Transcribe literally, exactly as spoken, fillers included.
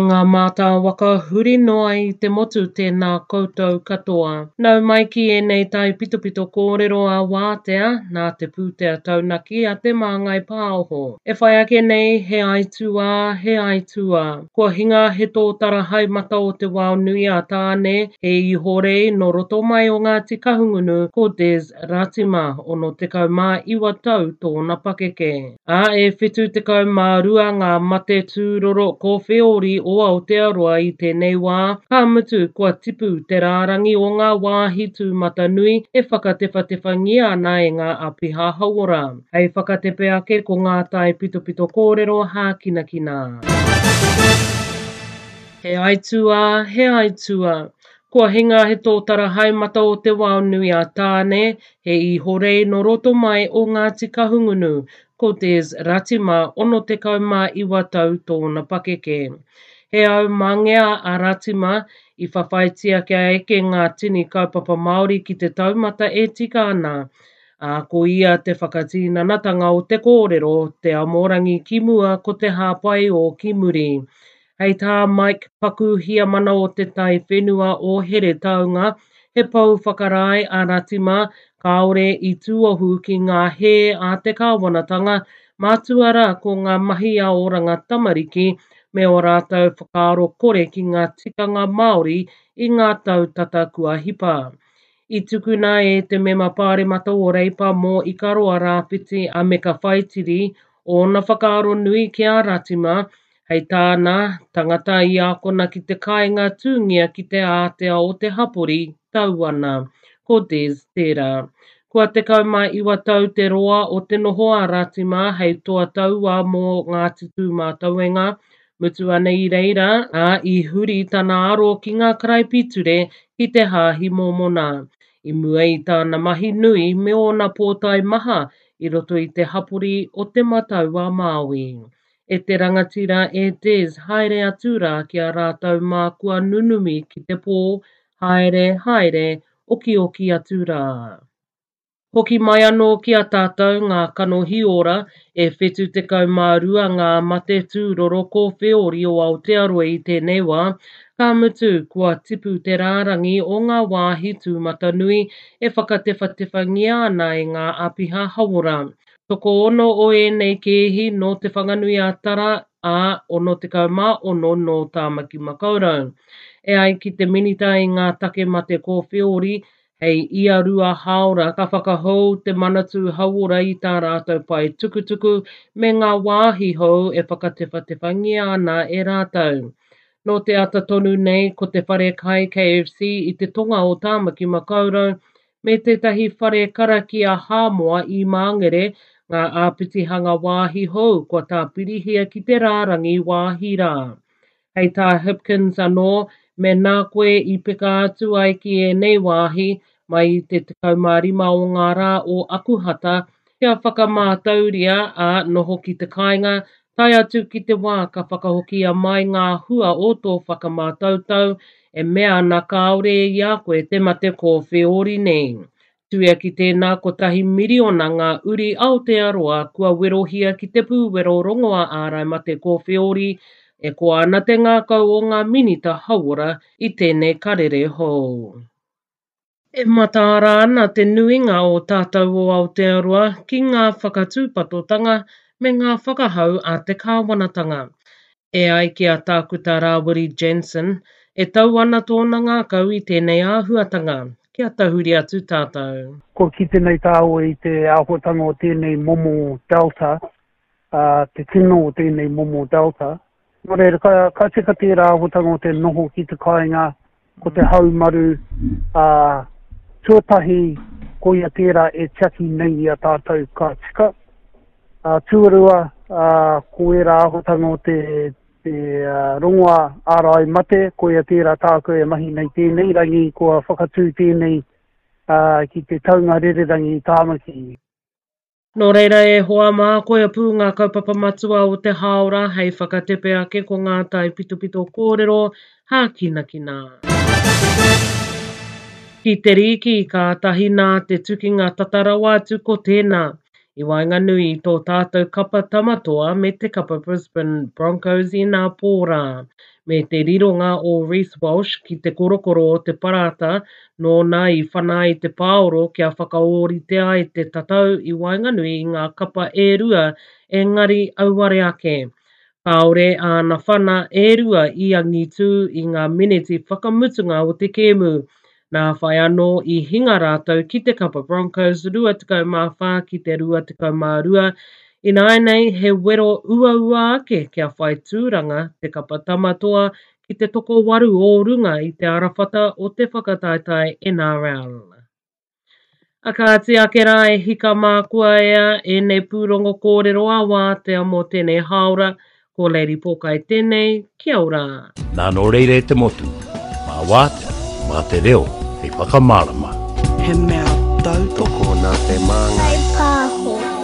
ngā mātāwaka huri noa i te motu tēnā koutou katoa. Nau mai ki ēnei taipitopito kōrero a Wātea nā te pūtea taunaki a Te Māngai Pāho. E whai ake nei he aituā, he aituā. Kua hinga he tōtara haemata o te wao nui a Tāne, he ihorei nō roto mai o Ngāti Kahungunu ko Des Ratima, ono tekau mā iwa tau tōna pakeke. Ā, e whitu tekau mā rua ngā mate tūroro kōwheori o Aotearoa i tēnei wā, ka mutu kua tipu te rārangi o ngā wāhi tūmatanui e whakatewhatewhangia ana e ngā āpiha hauora. Hei whakatepe ake ko ngā taipitopito kōrero hākinakina. He aituā, he aituā. Kua hinga he tōtara haemata o te wao nui a Tāne, he ihorei nō roto mai o Ngāti Kahungunu, ko Des Ratima, ono tekau mā iwa tau tōna pakeke. He aumangea a Ratima i whawhaitia kia eke ngā tini kaupapa Māori ki te taumata e tika ana. Ā, ko ia te whakatinanatanga o te kōrero, te amorangi ki mua ko te hāpai o ki muri. Hei tā Mike Paku Hiamana o te tai whenua o Heretaunga, he pou whakarae a Ratima, kāore i tūohu ki ngā hē a te kāwanatanga, mātua rā ko ngā mahi a Oranga Tamariki me ō rātou whakaaro kore ki ngā tikanga Māori i ngā tau tata kua hipa. I tukuna e te mema pāremata o Reipa mō Ikaroa Rāwhiti a Meka Whaitiri, ōna whakaaro nui ki a Ratima, hei tāna, tangata i ākona ki te kāinga tūngia ki te ātea o te hapori, tau ana. Ko Des tērā. Kua tekau mā iwa tau te roa o te noho a Ratima hei toa taua mō Ngāti Tūmātauenga, mutu ana i reira, ā, i huri tana aro ki ngā karaipiture ki te hāhi mōmona. I mua i tāna mahi nui me ōna pōtae maha i roto i te hapori o Te Matau a Māui. E te rangatira e Des, haere atu rā ki a rātou mā kua nunumi ki te pō, haere, haere, okioki atu rā. Hoki mai anō ki a tātou ngā kanohi ora, e whitu tekau mā rua ngā mate tūroro kōwheori o Aotearoa i tēnei wā, ka mutu kua tipu te rārangi o ngā wāhi tūmatanui e whakatewhatewhangia ana e ngā āpiha hauora. Tokoono o ēnei kēhi nō Te Whanganui a Tara, ā, ono tekau mā ono nō Tāmaki Makaurau. E ai ki te minita i ngā take mate kōwheori, hei ia rua hāora ka whakahou te Manatū Hauora i tā rātou pae tukutuku me ngā wāhi hou e whakatewhatewhangia ana e rātou. Nō te ata tonu nei ko te whare kai K F C i te tonga o Tāmaki Makaurau me tētahi whare karakia Hāmoa i Māngere, ngā āpitihanga wāhi hou kua tāpirihia ki te rārangi wāhi rā. Hei tā Hipkins anō, me nā koe i peka atu ai ki ēnei wāhi, mai i te tekau mā rima o ngā rā o Akuhata, kia whakamātauria ā noho ki te kāinga, tae atu ki te wā ka whakahokia mai ngā hua o tō whakamātautau, e mea ana kāore i a koe te mate kōwheori nei. Tuia ki tēnā kotahi miriona ngā uri Aotearoa kua werohia ki te pūwero rongoa ārai mate kōwheori, e koa ana te ngākau o ngā minita hauora i tēnei karere hou. E mataara ana te nuinga o tātou o Aotearoa ki ngā whakatūpatotanga me ngā whakahau a te kāwanatanga. E ai ki a Tākuta Rāwiri Jansen, e tau ana tōna ngākau i tēnei āhuatanga, kia tahuri atu tātou. Kua kite nei tāua i te āhuatanga o tēnei momo Delta, uh, te tino o tēnei momo Delta. Nō reira, ka, ka tika tērā āhuatanga o te noho ki te kāinga, ko te haumaru, uh, tuatahi ko ia tērā e tiaki nei i a tātou ka tika. Uh, tuarua, uh, ko ērā āhuatanga o te, te uh, rongoa ārai mate, ko ia tērā tākou e mahi nei tēnei rangi, kua whakatū tēnei uh, ki te taunga rererangi i Tāmaki. Nō reira e hoa mā, koia pū ngā kaupapa matua o te hāora hei whakatepe ake ko ngā taipitopito kōrero hākinakina. Ki te rīki, kātahi nā te tukinga tata rawa atu ko tēnā. i waenganui i tō tātou kapa Tamatoa me te kapa Brisbane Broncos inapō rā, me te rironga o Reece Walsh ki te korokoro o te parata nōna i whana ai te pāoro kia whakaōrite ai te tatau i waenganui i ngā kapa e rua, engari auare ake. Kāore āna whana e rua i angitū i ngā miniti whakamutunga o te kēmu. Nā whai anō i hinga rātou ki te kapa Broncos rua tekau mā whā ki te rua tekau mā rua. Ināianei he wero uaua ake kia whai tūranga te kapa Tamatoa ki te tokowaru o runga i te arawhata o te whakataetae N R L. A kāti ake rā e hika mā kua ea ēnei pūrongo kōrero a wātea mō tēnei hāora, ko Lady Pōkai tēnei, kia ora. Nā nō reira e te motu, mā wātea, mā te reo hei whakamārama. He mea tautoko Tokona te māngai. Whai pāho.